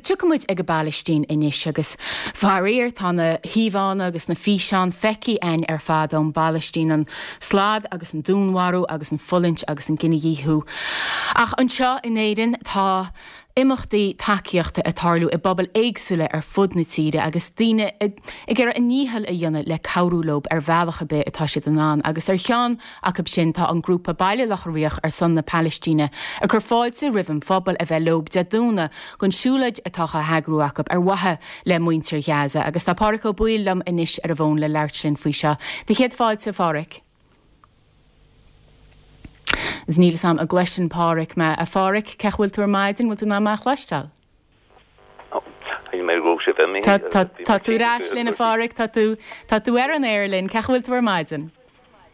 Tiocfaidh muid ag an bPalaistín anois agus faraor tá na híomhánna agus na físeáin feicthe againn ar fad ón bPalaistín, an slad agus an dúnmharú agus an fulaingt agus an cinedhíothú. Ach anseo in Éirinn tá imeachtaí tacaíochta ag tarlú i bpobail éagsúla ar fud na tíre agus daoine ag iarraidh a ndícheall a dhéanamh le cabhrú leo ar bhealach ar bith atá siad in ann agus ar cheann acu sin tá an grúpa Baile Locha Riach ar son na Palaistíne ag cur fáilte roimh an phobal a bheith leo Dé Domhnaigh don siúlóid atá á heagrú acu ar mhaithe le muintir Ghaza agus tá Pádhraic Ó Baoill liom anois ar an bhfón le labhairt linn faoi seo. Do chéad fáilte, a Phádhraic. Agus níl 'fhios a'm an gcloiseann Pádhraic mé. A Phádhraic, cén chaoi a bhfuil tú ar maidin, bhfuil tú in ann mé a chloisteáil? Shíl mé go raibh sibh imithe. Tá, tá tú ar ais linn a Phádhraic, tá tú, tá tú ar an aer linn, cén chaoi a bhfuil tú ar maidin?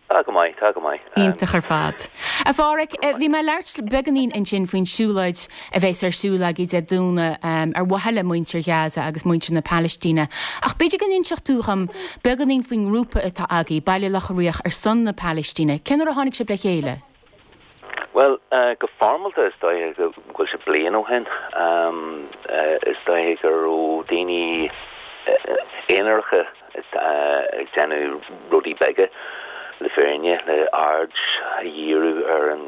Tá go maith, tá go maith. Iontach ar fad. A Phádhraic, bhí mé ag labhairt beagáinín ansin faoin siúlóid a bheas ar siúl agaibh Dé Domhnaigh ar mhaithe le muintir Ghaza agus muintir na Palaistíne. Ach b'fhéidir go n-inseodh tú dhom beagáinín faoin ngrúpa atá agaibh, Baile Locha Riach ar son na Palaistíne. Cén uair a tháinig sibh le chéile? Bhuel, go foirmeálta is dóiche go bhfuil sé bliain ó shin. Is dóiche go raibh daoine aonaracha ag déanamh rudaí beaga, le fírinne, le aird a dhíriú ar an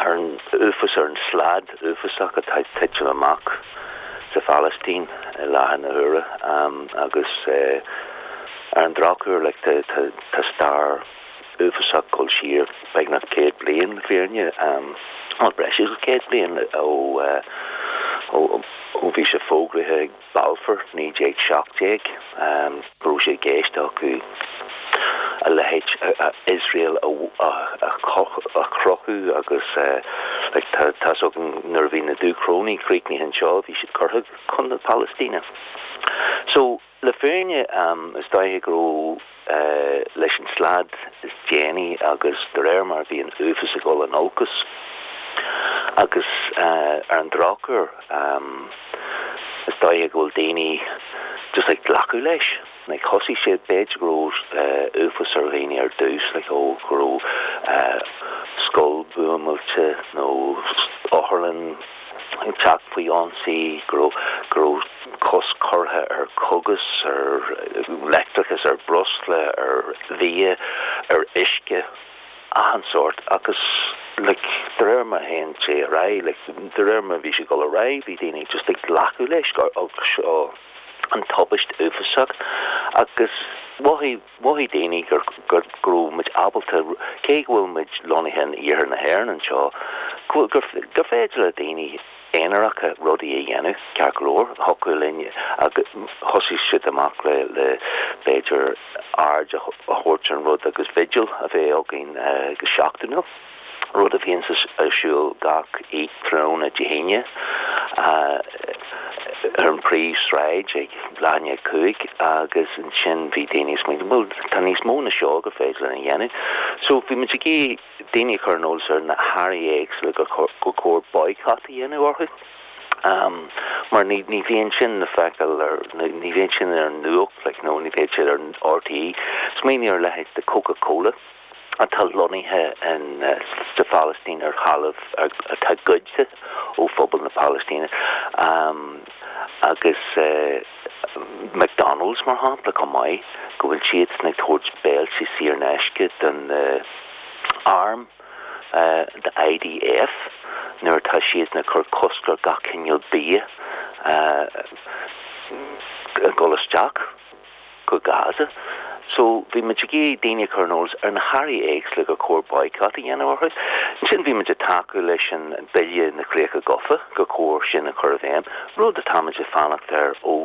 ar an uafás, ar an slad uafásach atá ag titim amach sa Phalaistín i láthair na huaire. Agus ar an drochuair, like, tá stair uafásach ag dul siar beagnach 100 bliain, le fírinne, bhuel, breis agus 100 bliain ó ó bhí sé fógraithe ag Balfour 1917 go raibh sé i gceist acu a leithéid Iosrael a chruthú agus like tá tá's againn nuair a bhí na Dúchrónaigh críochnaithe anseo bhí siad curtha chun na Palaistíne. So Le fírinne, is dóiche go raibh leis an slad is déanaí agus de réir mar a bhí an uafás ag dul in olcas agus ar an drochuair is dóiche go bhfuil daoine just ag glacadh leis. Like thosaigh sé, b'fhéidir go raibh uafás ar dhaoine ar dtús like ó go raibh scoil buamáilte nó otharlann ag teacht faoi ionsaí, go raibh go raibh cosc curtha ar chógais, ar leictreachas, ar bhreosla, ar bhia, ar uisce, achan sórt agus like de réir mar a théann sé ar aghaidh, like de réir mar a bhí sé ag dul ar aghaidh bhí daoine just ag glacadh leis agus seo an tubaist uafásach agus mhothaigh mhothaigh daoine gur go raibh muid ábalta cé go bhfuil muid lonnaithe in iarthar na hÉireann anseo gur gur féidir le daoine aonaracha rudaí a dhéanamh, ceart go leor, thiocfadh linn agus thosaigh siad amach le le b'fhéidir aird a thabhairt ar an rud agus vigil a bheith againn go seachtainiúil, rud a bhíonn ar siúl gach tráthnóna Dé hAoine ar an bpríomhshráid ag leath i ndiaidh a 5 agus ansin bhí daoine ag smaoineamh bhuel tá níos mó ná seo gur féidir linn a dhéanamh. So bhí muid ag iarraidh daoine a chur ar an eolas ar na hearraí éagsúla gur gur chóir boycott a dhéanamh orthu mar ní ní bhíonn sin le feiceáil ar ní bhíonn sin ar an nuacht like nó ní bhíonn siad ar an RTÉ. Smaoinigh ar leithéid de Coca-Cola atá lonnaithe in sa Phalaistín ar thalamh atá goidte ó phobal na Palaistíne agus McDonald's mar shampla chomh maith, go bhfuil siadsan ag tabhairt béiltí saor in aisce don arm, the IDF, nuair atá siadsan ag cur cosc ar gach cineál bia a dhul isteach. go Gaza. So, bhí muid ag iarraidh daoine a chur ar an eolas ar na hearraí éagsúla gur chóir boycott a dhéanamh orthu. Ansin bhí muid ag tacú leis an Bille na Críocha Gafa, gur chóir sin a chur i bhfeidhm, rud atá muid ag fanacht air ó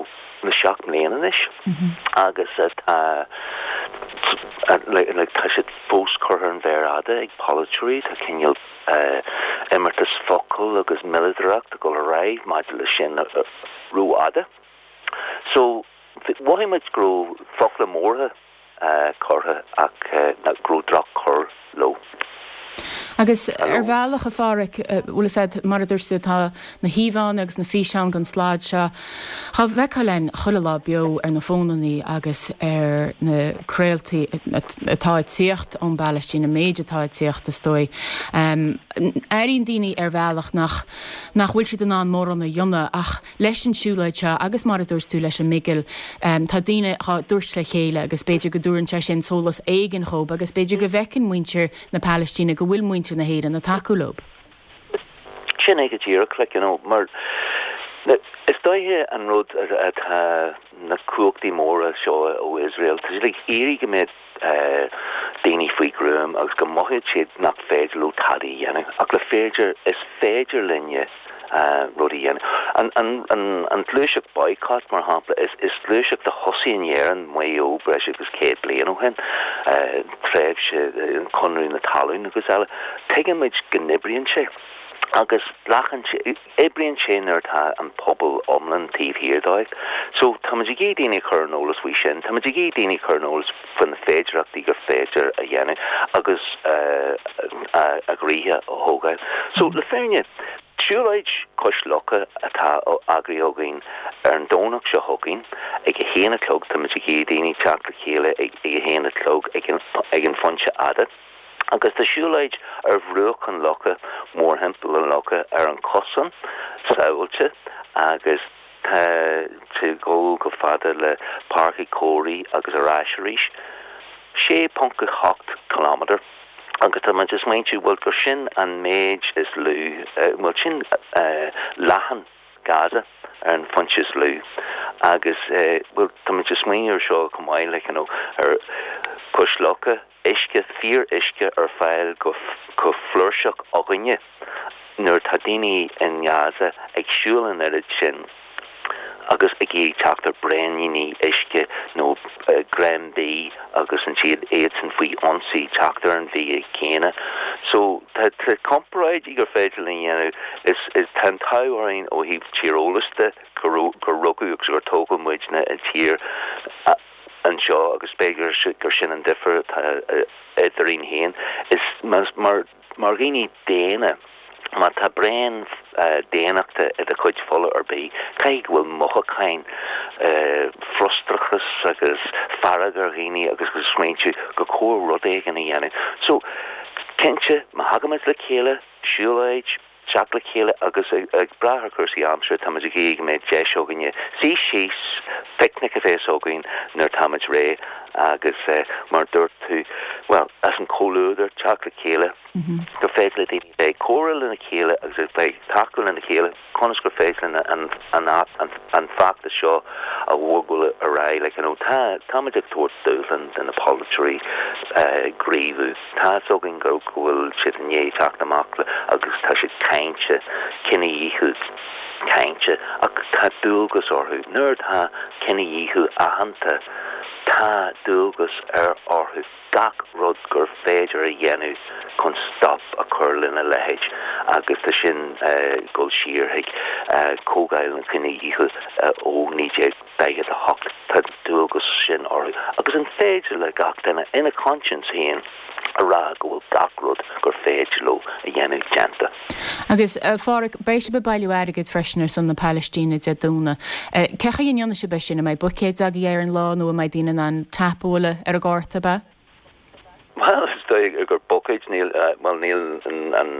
na 7 mbliana anois agus atá like tá siad fós curtha ar an mhéar fhada ag polaiteoirí, tá cineál imeartas focal agus miolladóireacht ag dul ar aghaidh maidir leis sin rófhada. So, Mhothaigh muid go raibh focla móra curtha ach go raibh droch-chur leo. Agus ar bhealach, a Pháraic, bhfuil fhios a'd, mar a dúirt tú, tá na híomhánna agus na físeáin den slad seo dhá bhfeiceáil a'inn chuile lá beo ar na fónannaí agus ar na craoltaí atá ag tíocht ón bPalaistín, an méid atá ag tíocht, is dóigh. Airíonn daoine ar bhealach nach nach bhfuil siad in ann mórán a dhéanamh ach leis an siúlóid seo agus mar a dúirt tú leis an mbigil, tá daoine dhá dtabhairt le chéile agus b'fhéidir go dtabharann sé sin sólás éigin dhóib agus b'fhéidir go bhfeiceann muintir na Palaistíne go bhfuil muintir na hÉireann ag tacú leo. Sin é go díreach, like, you know, mar is dóiche an rud atá na cumhachtaí móra seo ó Iosrael, tá siad ag iarraidh go mbeadh daoine faoi ghruaim agus go mothóidh siad nach féidir leo tada a dhéanamh. Ach le féidir, is féidir linne rud a dhéanamh. An ghluaiseacht boycott, mar shampla, is gluaiseacht a thosaigh in Éirinn, Maigh Eo, breis agus 100 bliain ó shin, tréimhse Chonradh na Talún agus eile. Tuigimid go n-oibríonn sé agus glacann sé, oibríonn sé nuair atá an pobal iomlán taobh thiar dóibh. So táimid ag iarraidh daoine a chur ar an eolas faoi sin, táimid ag iarraidh daoine a chur ar an eolas faoi na féidearthachtaí gur féidir a dhéanamh agus a gcroíthe a thógáil. So le fírinne, siúlóid cois locha atá eagraithe againn ar an Domhnach seo chugainn ag a haon a chlog, táimid ag iarraidh daoine teacht le chéile ag a haon a chlog ag an Phointe Fhada. Agus tá siúlóid ar bhruach an locha, mórthimpeall an locha, ar an chosán sábháilte agus tá sé ag dul chomh fada le Páirc Uí Chomhraí agus ar ais arís, 6.8 kilometre. Agus tá muid ag smaointiú, bhuel, gur sin an méid is lú, bhuel, sin leathán Gaza ar an phointe is lú. Agus, bhuel, tá muid ag smaoineamh ar seo chomh maith, like, you know, ar cois locha, uisce, fíor-uisce ar fáil go flúirseach againne nuair atá daoine in nGaza ag siúl an oiread sin agus ag iarraidh teacht ar braoiníní uisce nó greim bídh agus ansiad iadsan faoi ionsaí teacht ar an bhia céanna. So tá comparáidí gur féidir linn a dhéanamh. Is tá an t-ádh orainn ó thaobh tíreolas de gur rugadh agus gur tógadh muidne i dtír anseo agus b'fhéidir gur sin an difear atá eadrainn féin. Is mar mar dhaoine daonna, má tá braon daonnachta i do chuid fola ar bith, caithfidh go bhfuil mothúcháin, frustrachas agus fearg ar dhaoine agus go smaointiú gur chóir rud éigin a dhéanamh. So, cinnte, má thagaimid le chéile, siúlóid, teacht le chéile agus ag brath ar chúrsaí aimsire, táimid ag iarraidh go mbeidh deis againne suí síos, picnic a bheas againn nuair táimid réidh agus mar a dúirt tú, bhuel, as an chomhluadar, teacht le chéile, gur féidir le daoine bheith ag comhrá lena chéile agus a bheith ag tacú lena chéile, conas gur féidir linn an feachtas seo a bhogadh ar aghaidh. Like, you know, tá, táimid ag tabhairt dúshlán do na polaiteoirí gníomhú. Tá fhios againn go bhfuil siad i ndiaidh teacht amach le agus tá siad cainte, cinedhíothú cainte, ach tá dualgas orthu. Nuair atá cinedhíothú aitheanta, tá dualgas ar orthu gach rud gur féidir a dhéanamh chun stop a chur lena leithéid agus tá sin ag dul siar chuig Comhdháil an Chinedhíotha ó 19. 48. Tá an dualgas sin orthu. Agus an féidir le gach duine ina conscience féin a rá go bhfuil gach rud gur féidir leo a dhéanamh déanta? Agus, a Pháraic, beidh sibh ag bailiú airgid freisin ar son na Palaistíne Dé Domhnaigh. Cé chaoi a ndéanfaidh sibh é sin? An mbeidh buicéid agaibh ar an lá nó an mbeidh daoine in ann tap a bhualadh ar an gcárta, ab ea? Bhuel, is dóigh gur buicéid, níl, bhuel, níl an,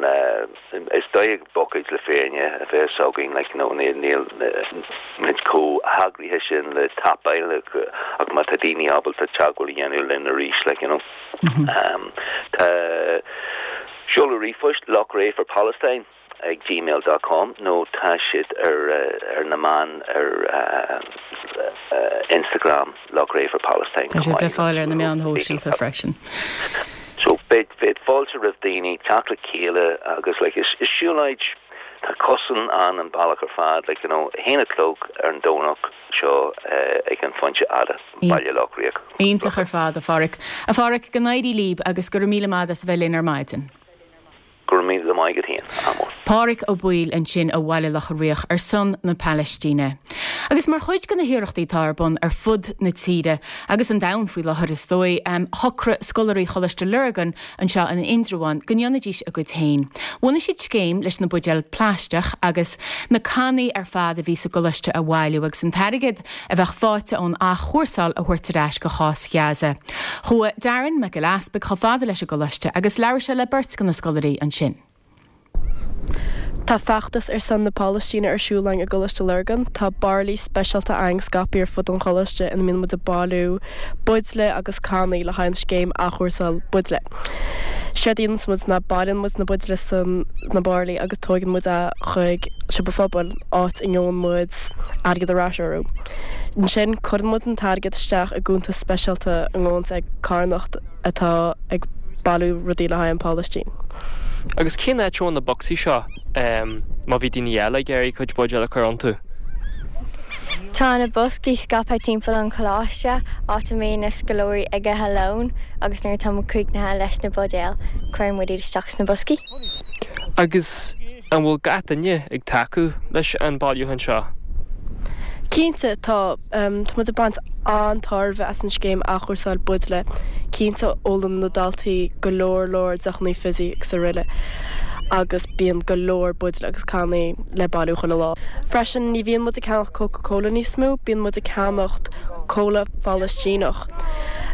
is dóigh gur buicéid le fírinne a bheas againn, like, nó níl, níl muid chomh heagraithe sin le tapáil ach má tá daoine ábalta teagmháil a dhéanamh linn arís, like, you know. Tá seoladh ríomhphoist, Loughrea for Palestine. ag gmail dot com nó tá siad ar ar na meáin ar Instagram Loughrea for Palestine Tá siad le fáil ar na meáin shóisialta freisin. So beidh beidh fáilte roimh daoine teacht le chéile agus like is is siúlóid tá cosán ann an bealach ar fad like you know a haon a chlog ar an Domhnach seo ag an Phointe Fhada, Baile Locha Riach. Iontach ar fad a Pháraic. A Pháraic, go n-éirí libh agus go raibh míle maith as a bheith linn ar maidin. Go raibh míle maith agat féin, ádh mór. Páraic Ó Baoill ansin ó Bhaile Locha Riach ar son na Palaistíne. Agus mar chuid de na hiarrachtaí atá ar bun ar fud na tíre, agus an domhain faoi láthair is dóigh, shocraigh scoláirí Choláiste Lurgan anseo in Indreabhán go ndéanfaidís a gcuid féin. Bhunaigh siad scéim leis na buidéil plaisteach agus na cannaí ar fad a bhí sa gcoláiste a bhailiú agus an t-airgead a bheadh faighte ón athchúrsáil a thabhairt ar ais go chás Ghaza. Chuaigh Darren Mac Giolla Easpaig chomh fada leis an gcoláiste agus labhair sé le beirt de na scoláirí ansin. Tá feachtas ar son na Palaistíne ar siúl againn i gColáiste Lurgan. Tá bairillí speisialta againn scaipthe ar fud an choláiste ina mbíonn muid ag bailiú buidéil agus cannaí le haghaidh an scéim athchúrsáil buidéil. Séard a dhéananns muid ná bailíonn muid na buidéil sna bairillí agus tóigeann muid é chuig siopa phobail, áit a ngeobhann muid airgead ar ais orthu. Ansin cuireann muid an t-airgead isteach i gcuntas speisialta a ngabhanns ag carthanacht atá ag bailiú rudaí le haghaidh an Phalaistín. Agus cén áit a bhfuil na bocsaí seo má bhí daoine eile ag iarraidh cuid buidéal a chur iontu? Tá na boscaí scaipthe timpeall an choláiste, áit a mbíonn na scoláirí ag ithe lón agus nuair atá muid críochnaithe leis na buidéil, cuireann muid iad isteach sna boscaí. Agus An bhfuil gach duine ag tacú leis an bailiúchán seo? Cinnte, tá. Tá muid ag baint an-tairbhe as an scéim athchúrsáil buidéil. Cinnte, ólann na daltaí go leor leor deochanna fizzy agus araile agus bíonn go leor buidéil agus cannaí le bailiú chuile lá. Freisin, ní bhíonn muid ag ceannacht Coca Cola níos mó, bíonn muid ag ceannacht Cola Phalaistíneach.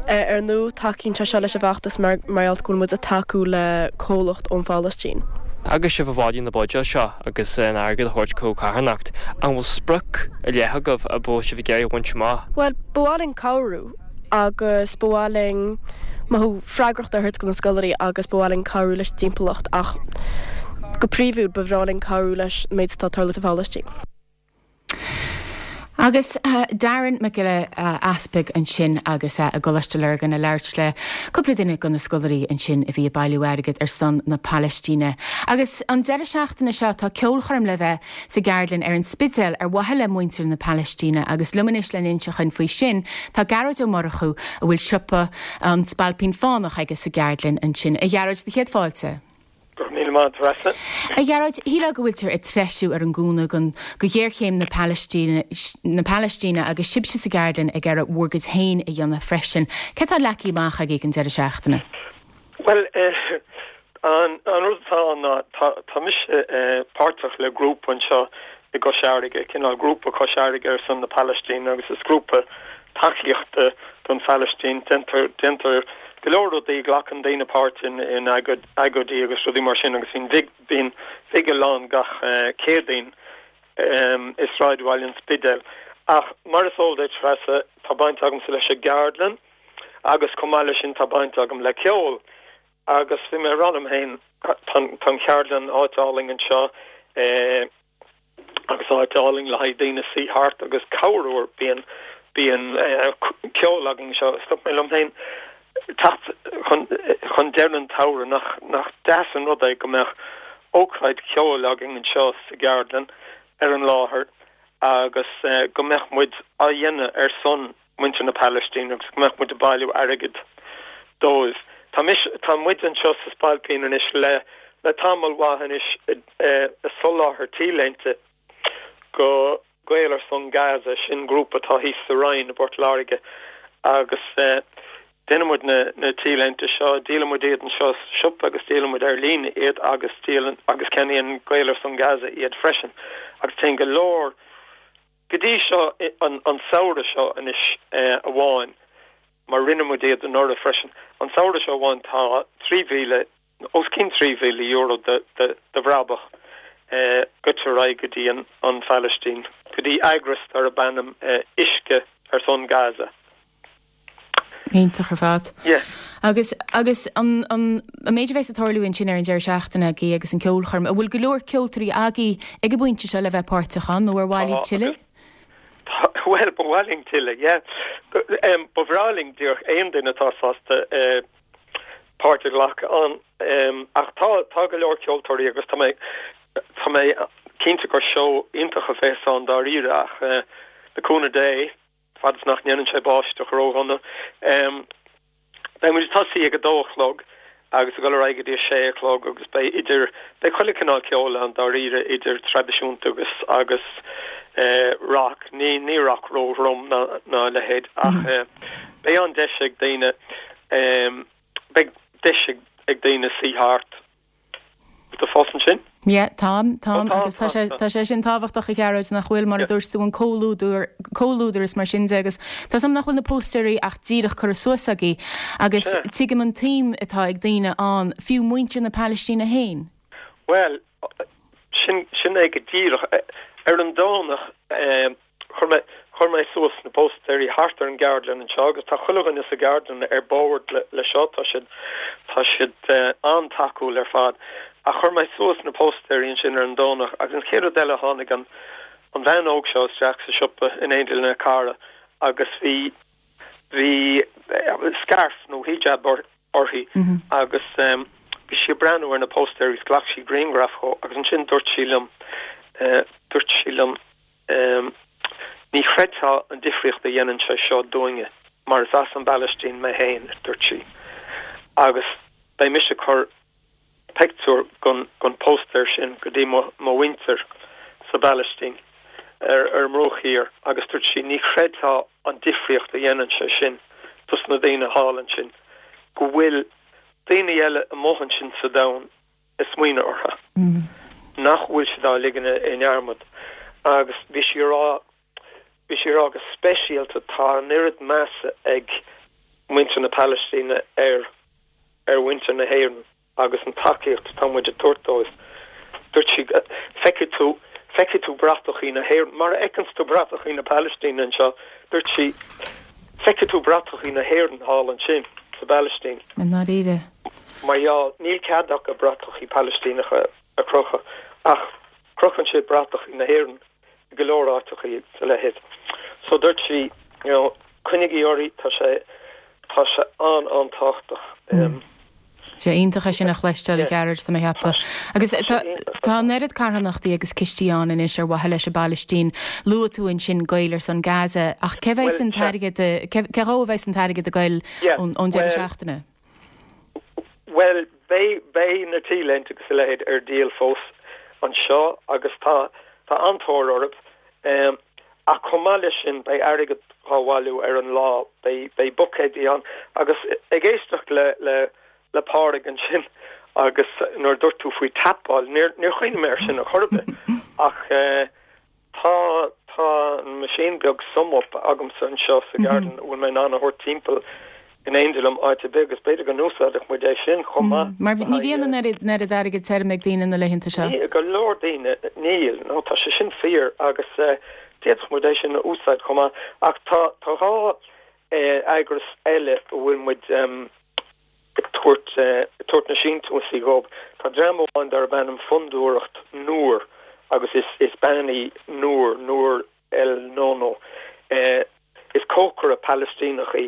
Ar ndóigh, tacaíonn sé seo leis an bhfeachtas mar gheall go bhfuil muid ag tacú le comhlacht ón Phalaistín. Agus sibh ag bailiú na buidéal seo agus an airgead a thabhairt chuig carthanacht, an bhfuil sprioc ar leith agaibh a bhfuil sibh ag iarraidh a bhaint amach? Bhuel, ba mhaith linn cabhrú agus ba mhaith linn mothú freagrachta a thabhairt do na scoláirí agus ba mhaith linn cabhrú leis an dtimpeallacht ach go príomhúil ba bhreá linn cabhrú leis an méid atá ag tarlú sa Phalaistín. Agus Darren Mac Giolla Easpaig ansin agus é i gColáiste Lurgan ag labhairt le cúpla duine de na scoláirí ansin a bhí ag bailiú airgid ar son na Palaistíne. Agus an deireadh seachtaine seo tá ceolchoirm le bheith sa gceardlann ar an Spidéal ar mhaithe le muintir na Palaistíne agus liom anois le n-inse dhuinn faoi sin tá Gearóid Ó Murchú a bhfuil siopa An Spailpín Fánach aige sa gceardlann ansin. A Ghearóid, do chéad fáilte. Go raibh míle maith, Treasa. A Ghearóid, shílfeá go bhfuiltear ag treisiú ar an gcúnamh don, go ghéarchéim na Palaistíne, na Palaistíne agus sibhse sa gceardlann ag iarraidh bhur gcuid féin a dhéanamh freisin. Céard atá leagtha amach agaibh don deireadh seachtaine? Bhuel, an, an rud atá ann ná tá, tá mise páirteach le grúpa anseo i gCois Fharraige, cineál grúpa Cois Fharraige ar son na Palaistíne agus is grúpa tacaíochta don Phalaistín. Déantar, déantar go leor rudaí, glacann daoine páirt in, in agóidí agus rudaí mar sin agus bíonn bhig, bíonn bigil ann gach Céadaoin i sráidbhaile an Spidéil. Ach mar is eol duit, Treasa, tá baint agamsa leis an gceardlann agus chomh maith leis sin tá baint agam le ceol. Agus bhí mé ag rá liom féin, tá an cheardlann áit álainn anseo, agus áit álainn le haghaidh daoine suí thart agus cabhrú bíonn bíonn ceol againn anseo. Dúirt mé liom féin teacht chun chun deireadh an tsamhraidh nach nach deas an rud é go mbeadh ócáid cheoil againn anseo sa gceardlann ar an láthair agus go mbeadh muid á dhéanamh ar son muintir na Palaistíne agus go mbeadh muid ag bailiú airgid dóibh. Tá mise, tá muid anseo sa Spailpín anois le le tamall mhaith anois ag soláthar T-léinte go Gael ar son Gaza, sin grúpa atá thíos sa Rinn i bPort Láirge agus déanann muid na na T-léinte seo, díolann muid iad anseo sa siopa agus díolann muid ar líne iad agus díolann agus ceannaíonn Gael ar son Gaza iad freisin agus téann go leor Go dtí seo, an samhradh seo anois amháin, mar rinne muid iad anuraidh freisin, an samhradh seo amháin tá 3,000, os cionn €3,000 de bhrabach gaibhte ar aghaidh go dtí an Phalaistín, go dtí eagras darb ainm Uisce ar son Gaza. Iontach ar fad. Yeah. Agus, agus an, an, an méid a bheas ag tarlú ansin ar an deireadh seachtaine agaibh agus an ceolchoirm, an bhfuil go leor ceoltóirí agaibh ag an bpointe seo le bheith páirteach ann nó ar mhaith libh tuilleadh? Tá, bhuel, ba mhaith linn tuilleadh, yeah. Ba bhreá linn díreach aon duine atá sásta páirt a ghlacadh ann. Ach tá, tá go leor ceoltóirí agus tá mé, tá mé cinnte gur seó iontach a bheas ann dáiríre ach le cúnamh Dé, Fad is nach ndéanann sé báisteach ródhona. Beidh muid ag tosaí ag a dó a chlog agus ag dul ar aghaidh go dtí a sé a chlog agus beidh idir, beidh chuile cineál ceoil ann dáiríre, idir traidisiúnta agus, agus. Rock, ní ní rock ró-throm ná ná a leithéid ach beidh an deis ag daoine beidh deis ag daoine suí thart. Tá tú fós ansin? Yeah, táim, táim agus tá sé tá sé sin tábhachtach a Ghearóid nach bhfuil mar a dúirt tú an comhluadar comhluadar is mar sin de agus tá 's agam nach bhfuil na póstaeirí ach díreach curtha suas agaibh agus tuigim an tsuim atá ag daoine ann, fiú muintir na Palaistíne féin. Bhuel, Sin, sin é go díreach. Ar an Domhnach, chuir mé, chuir mé suas na póstaeirí thart ar an gceardlann anseo agus tá chuile dhuine sa gceardlann ar bord le seo, tá siad, tá siad an-tacúil ar fad. Ach chuir mé suas na póstaeirí ansin ar an Domhnach agus an chéad rud eile tháinig an, an bhean óg seo isteach sa siopa in éindí lena cara agus bhí, bhí scairf nó hijab uirthi agus bhí sí ag breathnú ar na póstaeirí agus ghlac sí grianghraf dhó agus ansin dúirt sí liom, dúirt sí liom, ní chreidfeá an difríocht a dhéanann sé seo dúinne mar is as an bPalaistín mé féin, a dúirt sí, agus beidh mise ag cur pictiúr den póstaer sin go dtí mo mhuintir sa bPalaistín ar an mBruach Thiar agus dúirt sí, ní chreidfeá an difríocht a dhéanann sé sin dos na daoine thall ansin, go bhfuil daoine eile amuigh ansin sa domhan ag smaoineamh orthu, nach bhfuil siad á ligean i ndearmad. Agus bhí sí a rá, bhí sí a rá go speisialta tá an oiread measa ag muintir na Palaistíne ar ar mhuintir na hÉireann agus an tacaíocht atá muid ag tabhairt dóibh. Dúirt sí, feicfidh tú, feicfidh tú bratachaí na hÉireann, mar a fheiceanns tú bratachaí na Palaistíne anseo, dúirt sí, feicfidh tú bratachaí na hÉireann thall ansin sa bPalaistín. I ndáiríre. Mar gheall, níl cead acu bratachaí Palaistíneacha a chrochadh, ach crochann siad bratachaí na hÉireann. i go leor áiteachaí agus a leithéid. So dúirt sí, you know, coinnigí oraibh, tá sé, tá sé an-an-tábhachtach. Sé iontach é sin a chloisteáil, a Ghearóid, tá mé ag ceapadh. Agus tá, tá an oiread carthanachtaí agus cistí ann anois ar mhaithe leis an bPalaistín. Luaigh tú ansin Gaeil ar son Gaza, ach cé bheidh an t-airgead, cé dhó a bheidh an t-airgead ag goil ón deireadh seachtaine? Bhuel, beidh, beidh na T-léinte agus a leithéid ar díol fós anseo agus tá, tá an-tóir orthu. Ach chomh maith leis sin, beidh airgead dhá bhailiú ar an lá, beidh, beidh buicéidí ann. Agus ag éisteacht le, le, le Pádraig ansin agus nuair a dúirt tú faoi tapáil, níor, níor chuimhnigh mé air sin ar chor ar bith. Ach eh. Tá, tá an machine beag SumUp agamsa anseo sa gceardlann a bhfuil mé in ann a thabhairt timpeall in éindí liom áit ar bith agus b'fhéidir go n-úsáidfeadh muid é sin chomh maith. Mar ní bhíonn an oiread, an oiread airgid tirim ag daoine na laethanta seo. Ní, go leor daoine, níl, nó tá sé sin fíor agus d'fhéadfadh muid é sin a úsáid chomh maith. Ach tá, tá 2 eagras eile a bhfuil muid, ag tabhairt ag tabhairt na síntiúsaí dhóibh. Tá dream amháin darb ainm Fondúireacht Noor agus is is bean í Noor, Noor El Nono. Is cócaire Palaistíneach í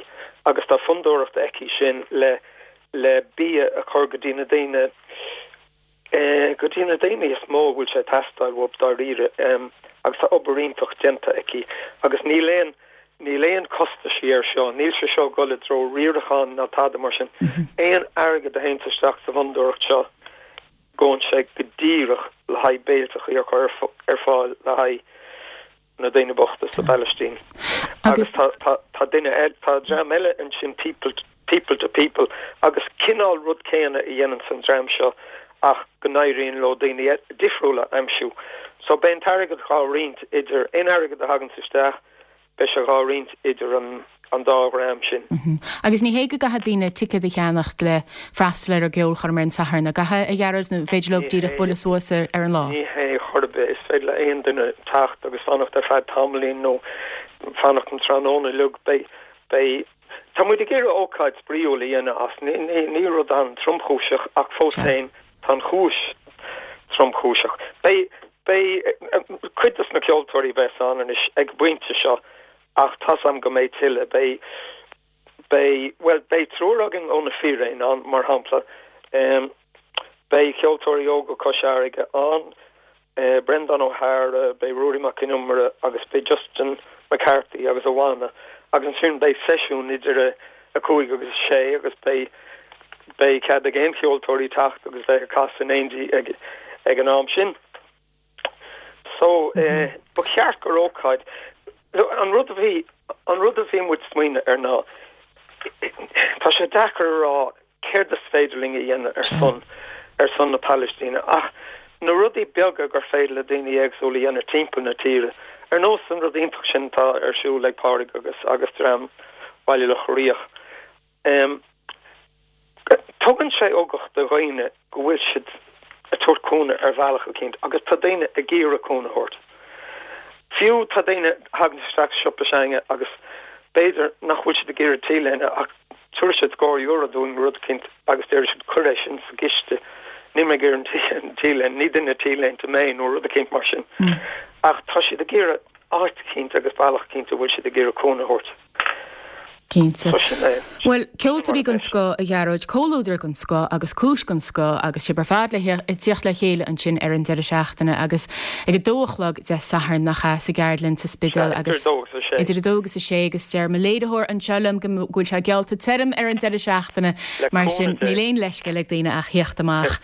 agus tá fondúireacht aici sin le le bia a chur go dtí na daoine go dtí na daoine is mó a bhfuil sé ag teastáil uathu dáiríre agus tá obair iontach déanta aici agus níl aon níl aon costaisí air seo, níl sé seo ag dul i dtreo riaracháin ná tada mar sin. Aon airgead a théanns isteach sa bhfondúireacht seo gabhann sé go díreach le haghaidh béilteachaí a chur ar fáil le haghaidh na daoine bochta sa bPalaistín. Agus tá tá tá duine eile tá dream eile ansin people people to people agus cineál rud céanna a dhéananns an dream seo ach go n-éiríonn leo daoine difriúla a aimsiú. So beidh an t-airgead dhá roinnt idir aon airgead a thaganns isteach beidh sé dhá roinnt idir an an dá dhream sin. Agus ní hé go gcaithfidh daoine ticéad a cheannacht le freastal ar an gceolchoirm ar an Satharn, an gcaithfidh, a Ghearóid, nó an féidir leo díreach bualadh suas ar an lá? Ní hé chor ar bith. Is féidir le aon duine teacht agus fanacht ar feadh tamaillín nó fanacht an tráthnóna uilig. Beidh, beidh, tá muid ag iarraidh ócáid spraíúil a dhéanamh as. Ní, ní, ní rud an-tromchúiseach ach fós féin tá an chúis tromchúiseach. Beidh, beidh cuid dos na ceoltóirí a bheas ann anois ag an bpointe seo Ach tá's a'm go mbeidh tuilleadh. Beidh, beidh, bhuel, beidh triúr againn ó Na Fíréin ann, mar shampla. Beidh Ceoltóirí Óga Chois Fharraige ann, Breandán Ó hEára, beidh Ruairí Mac Con Iomaire agus beidh Justin McCarthy agus a bhanna. Agus ansin beidh seisiún idir a 5 agus a 6 agus beidh, beidh cead ag aon cheoltóirí teacht agus bheith ag casadh in éindí ag, ag an am sin. So, ba cheart gur ócáid, an rud a bhí, an rud a bhí muid smaoineamh air ná, tá sé deacair a rá céard is féidir linn a dhéanamh ar son, ar son na Palaistíne ach na rudaí beaga gur féidir le daoine éagsúla a dhéanamh timpeall na tíre, ar nós an rud iontach sin atá ar siúl ag Pádraig agus agus dream Bhaile Locha Riach. Tugann sé ugach do dhaoine go bhfuil siad ag tabhairt cúnamh ar bhealach eicínt agus tá daoine ag iarraidh cúnamh a thabhairt. Fiú tá daoine a thagann isteach sa siopa s'againne agus b'fhéidir nach bhfuil siad ag iarraidh T-léine ach tabharfaidh siad scór euro dúinn nó rud eicínt agus déarfaidh siad cuir é sin sa gciste, níl mé ag iarraidh an T-léine, ní duine T-léinte mé nó rud eicínt mar sin. Ach tá siad ag iarraidh áit eicínt agus bealach eicínt a bhfuil siad ag iarraidh cúnamh a thabhairt. Cinnte. Bhuel, ceoltóirí den scoth, a Ghearóid, comhluadar den scoth agus cúis den scoth agus sibh ar fad le tíocht le chéile ansin ar an deireadh seachtaine agus ag a dó a chlog Dé Sathairn, nach ea, sa gceardlann sa Spidéal agus idir a dó agus a sé agus deir mo léiritheoir anseo liom go bhfuil sé geallta tirim ar an deireadh seachtaine mar sin níl aon leithscéal ag daoine ach thíocht amach.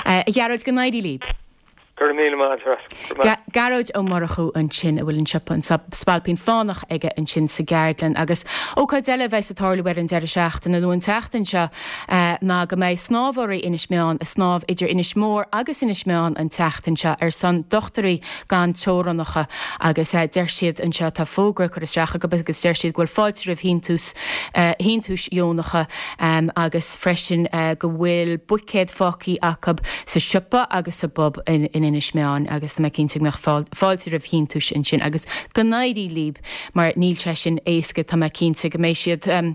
A Ghearóid, go n-éirí libh. Go raibh míle maith agat. Go raibh maith. Gearóid Ó Murchú ansin, a bhfuil an siopa An Spailpín Fánach aige ansin sa gceardlann. Agus ócáid eile a bheas ag tarlú ar an deireadh seachtaine, nó an tseachtain seo, ná go mbeidh snámhóirí Inis Meáin ag snámh idir Inis Mór agus Inis Meáin an tseachtain seo ar son Dochtúirí Gan Teorannacha. Agus deir siad anseo, tá fógra curtha isteach acu agus deir siad go bhfuil fáilte roimh shíntiús, shíntiúis dheonacha agus freisin go bhfuil buicéad fágtha acu sa siopa agus sa bpub in Inis Meáin agus tá mé cinnte go mbeadh fáilte roimh shíntiúis ansin agus go n-éirí líb mar níl sé sin éasca tá mé cinnte go mbeidh siad ag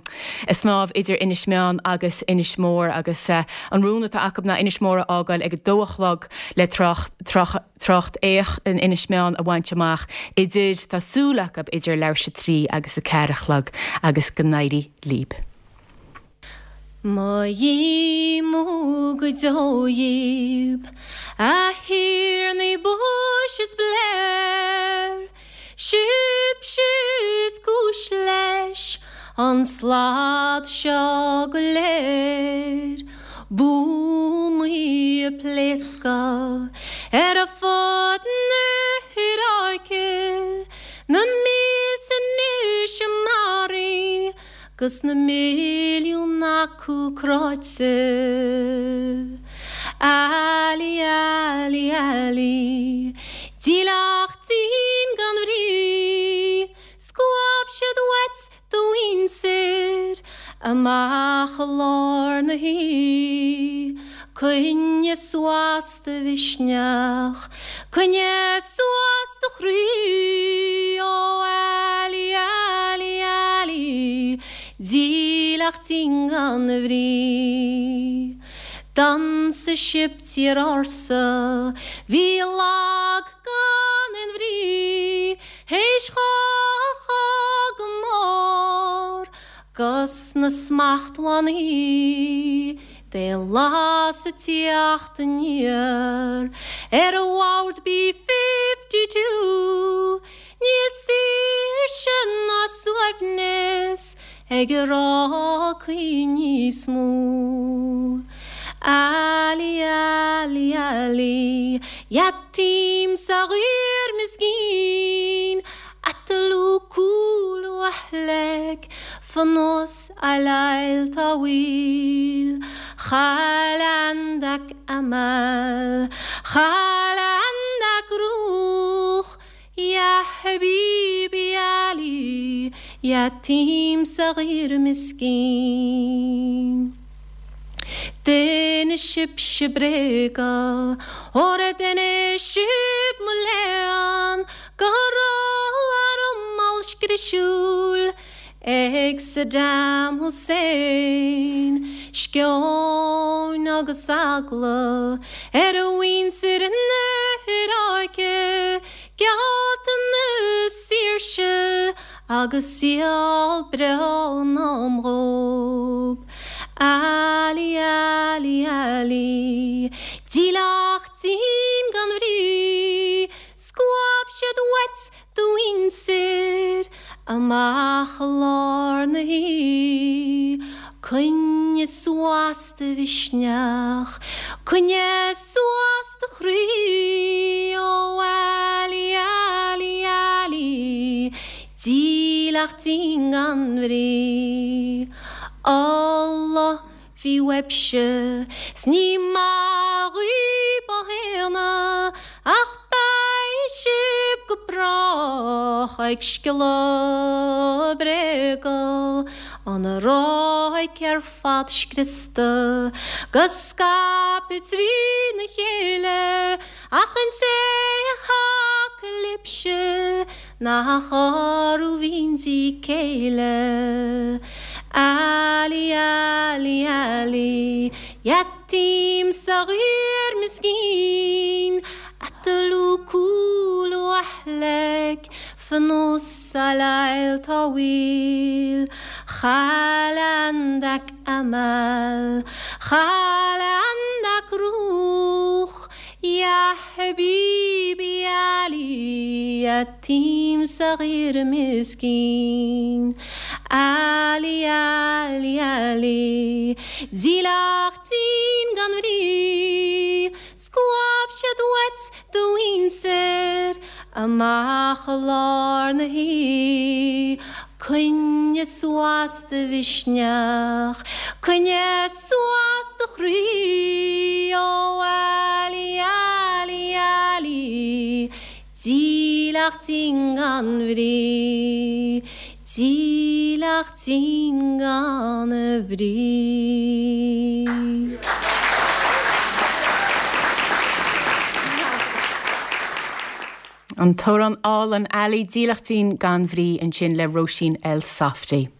snámh idir Inis Meáin agus Inis Mór agus an rún atá acu ná Inis Mór a fhágáil ag a dó a chlog le Tráth Each in Inis Meáin a bhaint amach idir, tá súil acu, idir leathuair tar éis a trí agus a ceathair a chlog agus go n-éirí líb. Mo dhíomá go deo dhíb, a thiarnaí Bush is Blair, Sibhse is cúis leis an slad seo go léir, Buamaí ag pléascadh ar fud na hIaráice, Na mílte anois maraithe 'gus na milliúin acu cráite. Ali, Ali, Ali, dílleachtín gan bhrí, Scuab siad uait do mhuintir amach i lár na hoíche. Coinnigh suas do mhisneach, coinnigh suas do chroí, Ó Ali, Ali, Ali, dílleachtín gan bhrí. D'ionsaigh sibh tír ársa, bhí lag gan aon bhrí, théis dhá chogadh mór 'gus na smachtbhannaí. Daonlathas ag tíocht aniar ar bhord B-52 Níl saoirse ná suaimhneas ag Iarácaigh níos mó. Ali, Ali, Ali, يتيم صغير مسكين قتلوا كل أهلك في نص الليل طويل خل عندك أمل خل عندك روح يا حبيبي علي يتيم صغير مسكين D'inis sibhse bréaga, óra d'inis sibh mo léan, go raibh arm ollscriosúil ag Saddam Hussein. Sceon agus eagla ar mhuintir na hIaráice, geallta na saoirse agus saol breá in am dhóibh. Ali, Ali, Ali, dílleachtín gan bhrí, Scuab siad uait do mhuintir amach i lár na hoíche. Coinnigh suas do mhisneach, coinnigh suas do chroí, Ó Ali, Dílleachtín gan bhrí. Allah bhí uaibhse 's ní maith dhaoib á shéanadh ach beidh sibh go brách ag sciolladh bréaga an ráic ar fad scriosta go scaipthe trína chéile ach an té atá libhse Nach orthu bhíonn sí céile. Ali Ali Ali يتيم صغير مسكين قتلوا كل أهلك في نص ليل طويل خل عندك أمل خل عندك روح يا حبيبي علي يتيم صغير مسكين Ali Ali Ali Dílleachtín gan bhrí Scuab siad uait do mhuintir amach i lár na hoíche Coinnigh suas do mhisneach, coinnigh suas do chroí, Ó Ali, Ali, Ali, dílleachtín gan bhrí, dílleachtín gan bhrí. An t-amhrán álainn Ali, Dílleachtín gan bhrí ansin le Róisín Elsafty.